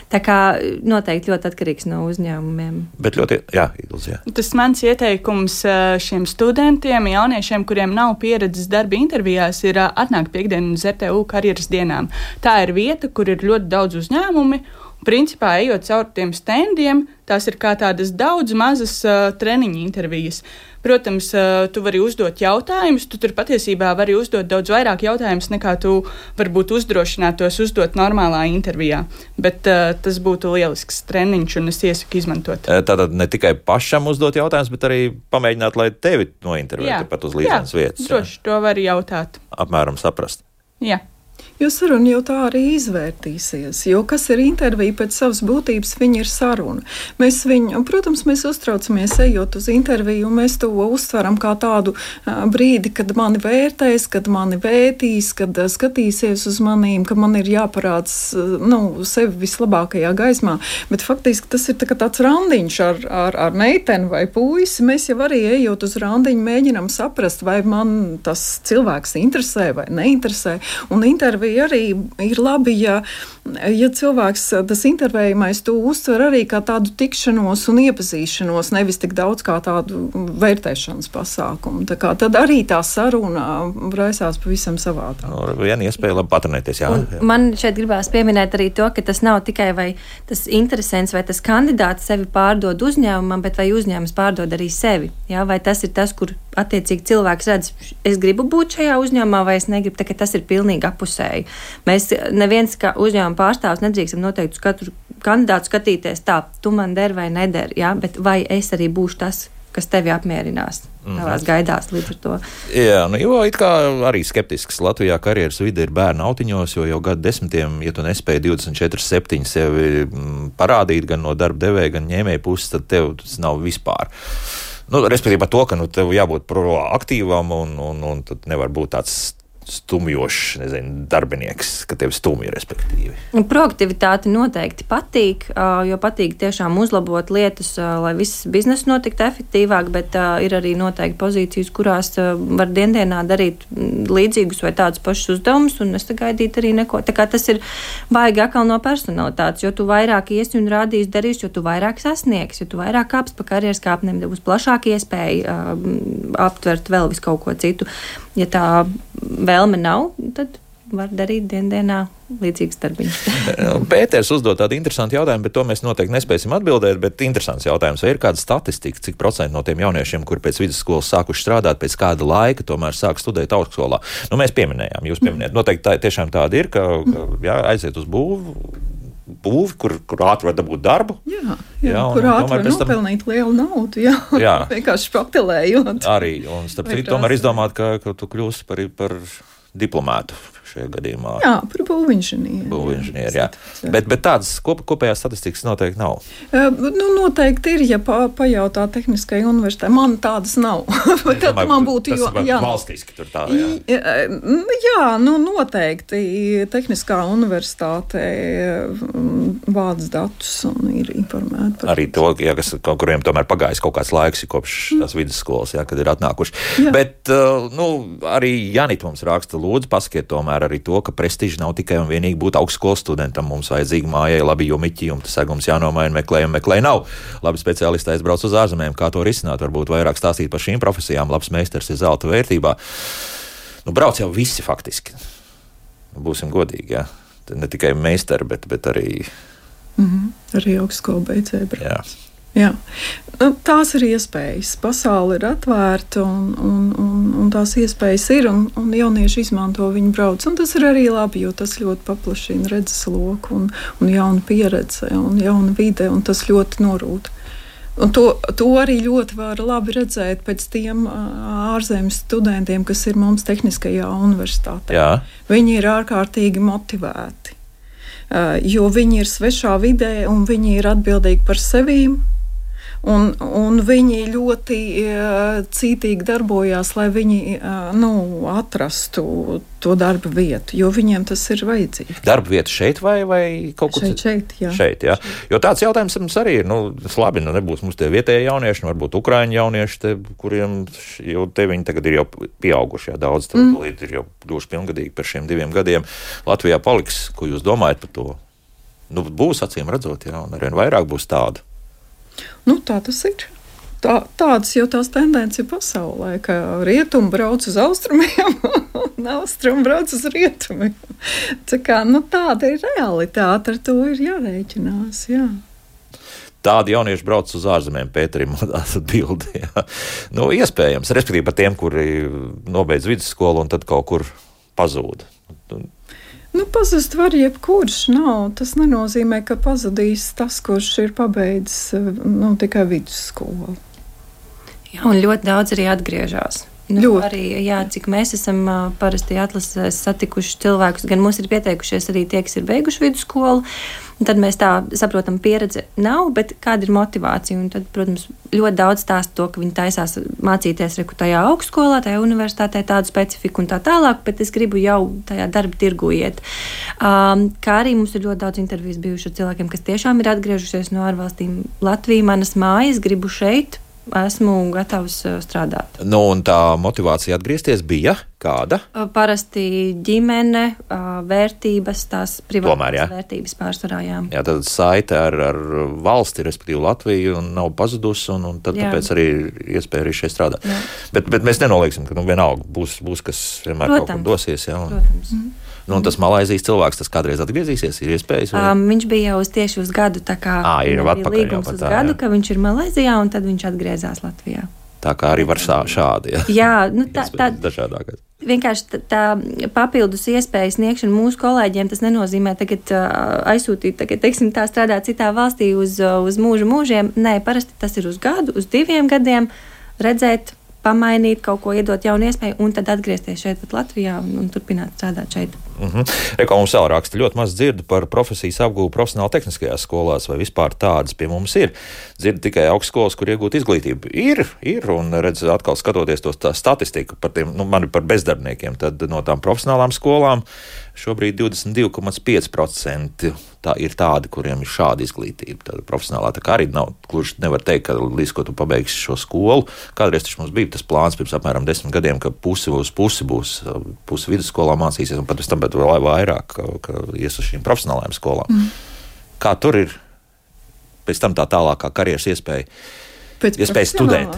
Tā kā noteikti ļoti atkarīgs no uzņēmumiem. Bet ļoti, jā, Ilze, jā. Tas mans ieteikums šiem studentiem, jauniešiem, kuriem nav pieredzes darba intervijās, ir atnākt piekdienu uz RTU karjeras dienām. Tā ir vieta, kur ir ļoti daudz uzņēmumi. Principā, ejot caur tiem standiem, tās ir kā tādas daudz mazas treniņa intervijas. Protams, tu vari uzdot jautājumus, tu tur patiesībā vari uzdot daudz vairāk jautājumus, nekā tu varbūt uzdrošinātos uzdot normālā intervijā. Bet tas būtu lielisks treniņš, un es iesaku izmantot. Tātad ne tikai pašam uzdot jautājumus, bet arī pamēģināt, lai tevi nointervētu pat uz līdzenas vietas. Jā, droši, to var jautāt. Apmēram saprast. Jā. Jo saruna jau tā arī izvērtīsies, jo kas ir intervija pēc savas būtības, viņa ir saruna. Mēs viņu, protams, mēs uztraucamies ejot uz interviju, un mēs to uztveram kā tādu brīdi, kad mani vērtēs, kad mani vērtīs, kad skatīsies uz manīm, ka man ir jāparāds, sevi vislabākajā gaismā, bet faktiski tas ir tāds randiņš ar meiteni vai puisi. Mēs jau arī ejot uz randiņu mēģinam saprast, vai man tas cilvēks interesē vai neinteresē, un intervija arī ir labi, ja cilvēks, tas intervējumais, to uztver arī kā tādu tikšanos un iepazīšanos, nevis tik daudz kā tādu vērtēšanas pasākumu. Tā kā tad arī tā saruna raisās pavisam savādāk. Viena iespēja labi patrenēties, jā. Man šeit gribās pieminēt arī to, ka tas nav tikai vai tas interesants vai tas kandidāts sevi pārdod uzņēmumam, bet vai uzņēmums pārdod arī sevi. Jā? Vai tas ir tas, kur attiecīgi cilvēks redz, es gribu būt šajā uzņēmumā vai es negribu, tā ka tas ir pilnīgi apusēji. Mēs neviens kā uzņēmuma pārstāvs nedrīkstam noteikti uz katru kandidātu skatīties tā, tu man der vai neder, jā, bet vai es arī būšu tas, kas tevi apmierinās tavās gaidās līdz ar to. Jā, jo it kā arī skeptisks Latvijā karjeras vide ir bērnu autiņos, jo jau gadu desmitiem, ja tu nespēji 24/7 sevi parādīt gan no darba devēja, gan ņēmēja puses, tad tev tas nav vispār. Respektīvi par to, ka tev jābūt proaktīvam un tad nevar būt tāds stumjošs, darbinieks, ka tevi stumj, respektīvi. Proaktivitāte noteikti patīk, jo patīk tiešām uzlabot lietas, lai viss biznes notiktu efektīvāk, bet ir arī noteikti pozīcijas, kurās var dienā darīt līdzīgus vai tādus pašus uzdevumus, un nesagaidīt arī neko. Tā kā tas ir baigi atkal no personalitātes, jo tu vairāk iesi un rādīsi darīsi, jo tu vairāk sasniegs, jo tu vairāk kāps pa karjeras kāpnēm, būs plašāka iespēja aptvert vēl visu kaut ko citu. Ja tā vēlme nav, tad var darīt dienā līdzīgas darbiņas. Pēters uzdod tādu interesantu jautājumu, bet to mēs noteikti nespēsim atbildēt, bet interesants jautājums, vai ir kāda statistika, cik procenti no tiem jauniešiem, kuri pēc vidusskolas sākuši strādāt, pēc kāda laika tomēr sāk studēt augstskolā? Mēs pieminējām, jūs pieminējāt. Noteikti tiešām tāda ir, ka aiziet uz būvi, kur ātri var dabūt darbu. Jā, kur ātri var nopelnīt lielu naudu, vienkārši paktelējot. Arī, un starp citu tomēr izdomāt, ka tu kļūsi par diplomātu šajā gadījumā. Jā, par būvinženieri. Jā. Bet tādas kopējās statistikas noteikti nav. Noteikti ir, ja pajautā tehniskai universitātei. Man tādas nav. Tad man būtu valstiski tur tā, jā, noteikti tehniskā universitāte vāc datus un ir informēta par arī to, kuriem tomēr pagājis kaut kāds laiks kopš tās vidusskolas, kad ir atnākuši. Jā. Bet arī Janita mums raksta, lūdzu, pasakiet tomēr arī to, ka prestiži nav tikai un vienīgi būt augstskolas studentam. Mums vajadzīgi mājai labi jomiķi, tas segums jānomaina, meklē nav. Labi speciālisti aizbrauc uz ārzemēm, kā to risināt, varbūt vairāk stāstīt par šīm profesijām. Labs meistars ir zelta vērtībā. Brauc jau visi faktiski. Būsim godīgi, jā. Ne tikai meistari, bet arī... Arī augstskola beidzēja brauc. Jā. Jā. Tās ir iespējas. Pasaule ir atvērta un tās iespējas ir, un jaunieši izmanto viņu brauc. Un tas ir arī labi, jo tas ļoti paplašina redzes loku un jaunu pieredzi un jaunu vide, un tas ļoti norūda. Un to arī ļoti var labi redzēt pēc tiem ārzemes studentiem, kas ir mums Tehniskajā universitātē. Jā. Viņi ir ārkārtīgi motivēti, jo viņi ir svešā vidē un viņi ir atbildīgi par sevīm. Un viņi ļoti cītīgi darbojās, lai viņi atrastu to darba vietu, jo viņiem tas ir vajadzīgs. Darba vieta šeit vai kaut kur Šeit, jā. Šeit, jā. Jo tāds jautājums mums arī ir, labi, nebūs mums tie vietējie jaunieši, varbūt ukraiņu jaunieši, kuriem jau te viņi tagad ir jau pieauguši, jā, daudz ir jau kļuvuši pilngadīgi par šiem 2 gadiem. Latvijā paliks, ko jūs domājat par to? Būs acīm redzot, jā, un arvien vairāk būs tādu. Tā tas ir. Tādas jau tās tendences ir pasaulē, ka rietumi brauc uz austrumiem un austrumi brauc uz rietumiem. Tāda ir realitāte, ar to ir jārēķinās, jā. Tādi jaunieši brauc uz ārzemēm, Pēterim, atbildi, jā. Iespējams, respektīvi par tiem, kuri nobeidz vidusskolu un tad kaut kur pazūd. Pazust var jebkurš, tas nenozīmē, ka pazudīs tas, kurš ir pabeidzis tikai vidusskolu. Jā, un ļoti daudz arī atgriežas. Arī, jā, cik mēs esam parasti atlasēs satikuši cilvēkus, gan mums ir pieteikušies arī tie, kas ir beiguši vidusskolu, un tad mēs tā saprotam, pieredze nav, bet kāda ir motivācija, un tad, protams, ļoti daudz stāsta to, ka viņi taisās mācīties tajā augstskolā, tajā universitātē tādu specifiku un tā tālāk, bet es gribu jau tajā darba tirgu iet. Kā arī mums ir ļoti daudz intervijas bijuši ar cilvēkiem, kas tiešām ir atgriežušies no ārvalstīm. Latvija, manas mājas, gribu šeit, esmu gatavs strādāt. Un tā motivācija atgriezties bija kāda? Parasti ģimene, vērtības, tās privātās vērtības pārsvarā, jā. Jā, tad saite ar valsti, respektīvi Latviju, un nav pazudusi, un tad tāpēc arī iespēja arī šeit strādāt. Jā. Bet mēs nenolieksim, ka vienalga būs kas vienmēr kaut kur dosies. Jā, Protams. Un tas Malaizijas cilvēks, tas kādreiz atgriezīsies, ir iespējas? Viņš bija jau tieši uz gadu, tā kā ir līgums uz gadu, ka viņš ir Malaizijā, un tad viņš atgriezās Latvijā. Tā kā arī var šādi, jā. Jā, tā dažādākais. Vienkārši tā papildus iespējas sniegšana mūsu kolēģiem, tas nenozīmē tagad aizsūtīt, teiksim, tā strādāt citā valstī uz mūžiem. Nē, parasti tas ir uz gadu, uz 2 gadiem, redzēt, pamainīt, kaut ko iedot jaunu iespēju, un tad atgriezties šeit pat Latvijā un turpināt strādāt šeit. Reko mums vēl raksta, ļoti maz dzirdu par profesijas apgūvu profesionāli tehniskajās skolās, vai vispār tādas pie mums ir. Dzirdu tikai augstskolas, kur iegūt izglītību. Ir, un redz, atkal skatoties tā statistiku par tiem, man par bezdarbniekiem, tad no tām profesionālām skolām šobrīd 22,5% tā ir tādi, kuriem ir šāda izglītība. Tāda profesionālā, tā kā arī nav, gluži nevar teikt, ka līdz ko tu pabeigsi šo skolu. Kādreiz taču mums bija tas plāns pirms apmēram 10 gadiem, ka pusi būs vidusskolā mācīsies, un pat pēc tam vēl vairāk, ka ies uz šīm profesionālajām skolām. Kā tur ir pēc tam tā tālākā karjeras iespēja studēt?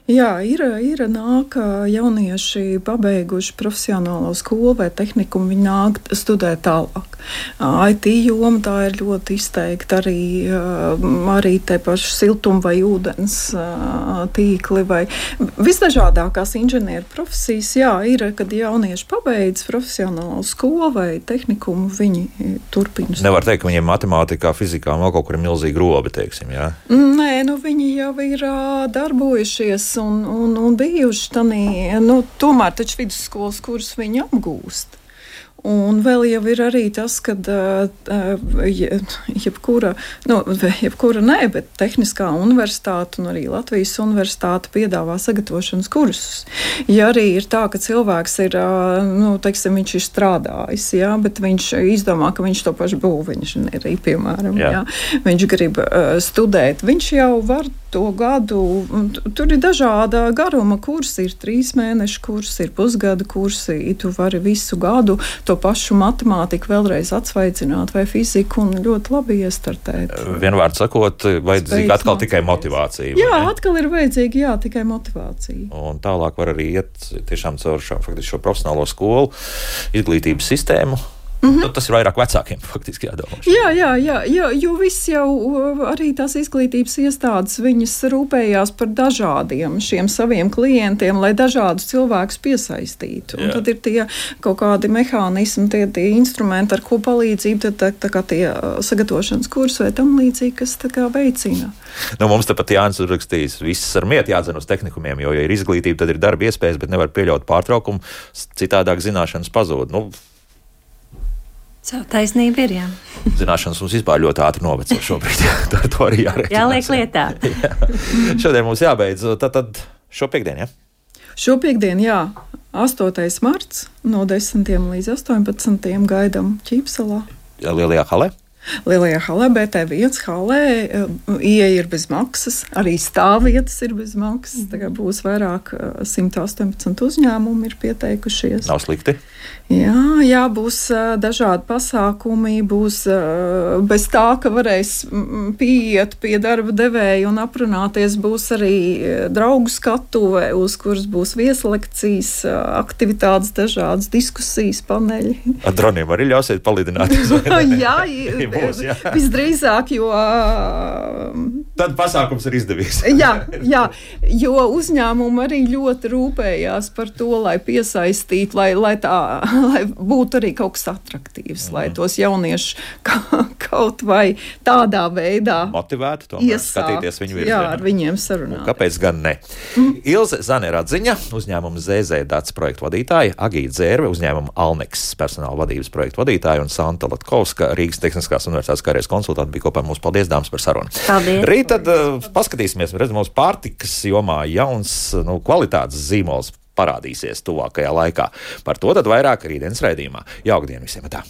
Jā, ir nāk jaunieši pabeiguši profesionālo skolu vai tehnikumu, viņi nāk studēt tālāk. IT joma tā ir ļoti izteikta, arī te paši siltuma vai ūdens tīkli vai visdažādākās inženieru profesijas. Jā, ir, kad jaunieši pabeidz profesionālo skolu vai tehnikumu, viņi turpina. Nevar teikt, ka viņiem matemātikā, fizikā vēl kaut kur ir milzīgi robi, teiksim, jā? Nē, viņi jau ir darbojušies un bijuši tādā, tomēr taču vidusskolas kursus viņi apgūst. Un vēl jau ir arī tas, ka jebkura nē, bet Tehniskā universitāte un arī Latvijas universitāte piedāvā sagatavošanas kursus. Ja arī ir tā, ka cilvēks ir, viņš ir strādājis, jā, bet viņš izdomā, ka viņš to pašu būvinženieriju, piemēram, jā. Viņš grib studēt, viņš jau var to gadu, tur ir dažāda garuma kursi, ir 3 mēnešu kursi, ir pusgada kursi, tu vari visu gadu to pašu matemātiku vēlreiz atsvaidzināt vai fiziku un ļoti labi iestartēt. Vienvārds sakot, vajadzīga atkal tikai motivācija. Jā, atkal ir vajadzīga, tikai motivācija. Un tālāk var arī iet tiešām caur šo profesionālo skolu, izglītības sistēmu. Tas ir vairāk vecākiem faktiski jādomā. Jā, jo viss jau arī tās izglītības iestādes, viņas rūpējās par dažādiem šiem saviem klientiem, lai dažādus cilvēkus piesaistītu. Un tad ir tie kaut kādi mehānismi, tie instrumenti, ar ko palīdzību, tā kā tie sagatavošanas kursi vai tam līdzīgi, kas tā kā veicina. Mums tepat Jānis uzrakstījis, viss ar mietu jādzen uz tehnikumiem, jo, ja ir izglītība, tad ir darba iespējas, bet nevar pieļaut pārtraukumu, citādāk zināšanas pazūd. Savu taisnību ir, jā. Zināšanas mums vispār ļoti ātri noveco šobrīd. Ar to arī jārēķinās. Jāliek lietā. Šodien mums jābeidz. Tad šo piekdienu, Šo piekdienu, 8. marts no 10 līdz 18 gaidām Ķīpsalā. Lielajā halē? Lielajā halē, BT1 halē, ieeja ir bez maksas, arī stāvvietas ir bez maksas. Tagad būs vairāk 118 uzņēmumi ir pieteikušies. Nav slikti. Jā, būs dažādi pasākumi, būs bez tā, ka varēs pieiet pie darba devēja un aprunāties. Būs arī draugu skatuve, uz kuras būs vieslekcijas, aktivitātes, dažādas diskusijas, paneļi. Ar droniem arī ļausiet palidināties? Jā, būs, visdrīzāk, jo... Tad pasākums ir izdevies. jā, jo uzņēmumi arī ļoti rūpējās par to, lai piesaistītu, lai būtu arī kaut kas atraktīvs, lai tos jauniešus kaut vai tādā veidā motivētu tomēr skatīties viņu virzienā. Jā, ar viņiem sarunāt. Kāpēc gan ne? Ilze Zane-Radziņa, uzņēmuma ZZ-Dats projektu vadītāja, Agīta Zērve, uzņēmuma Alneks personāla vadības projektu vadītāja un Santa Latkovska, Rīgas Tehniskās universitātes karjeras konsultanti bija kopā mums. Paldies, dāmas, par sarunu. Paldies. Rīt tad paskatīsimies, redzam, mums pārtikas jomā jauns kvalitātes zīmols parādīsies tuvākajā laikā. Par to tad vairāk rītdienas raidījumā. Jauka diena visiem! Tā.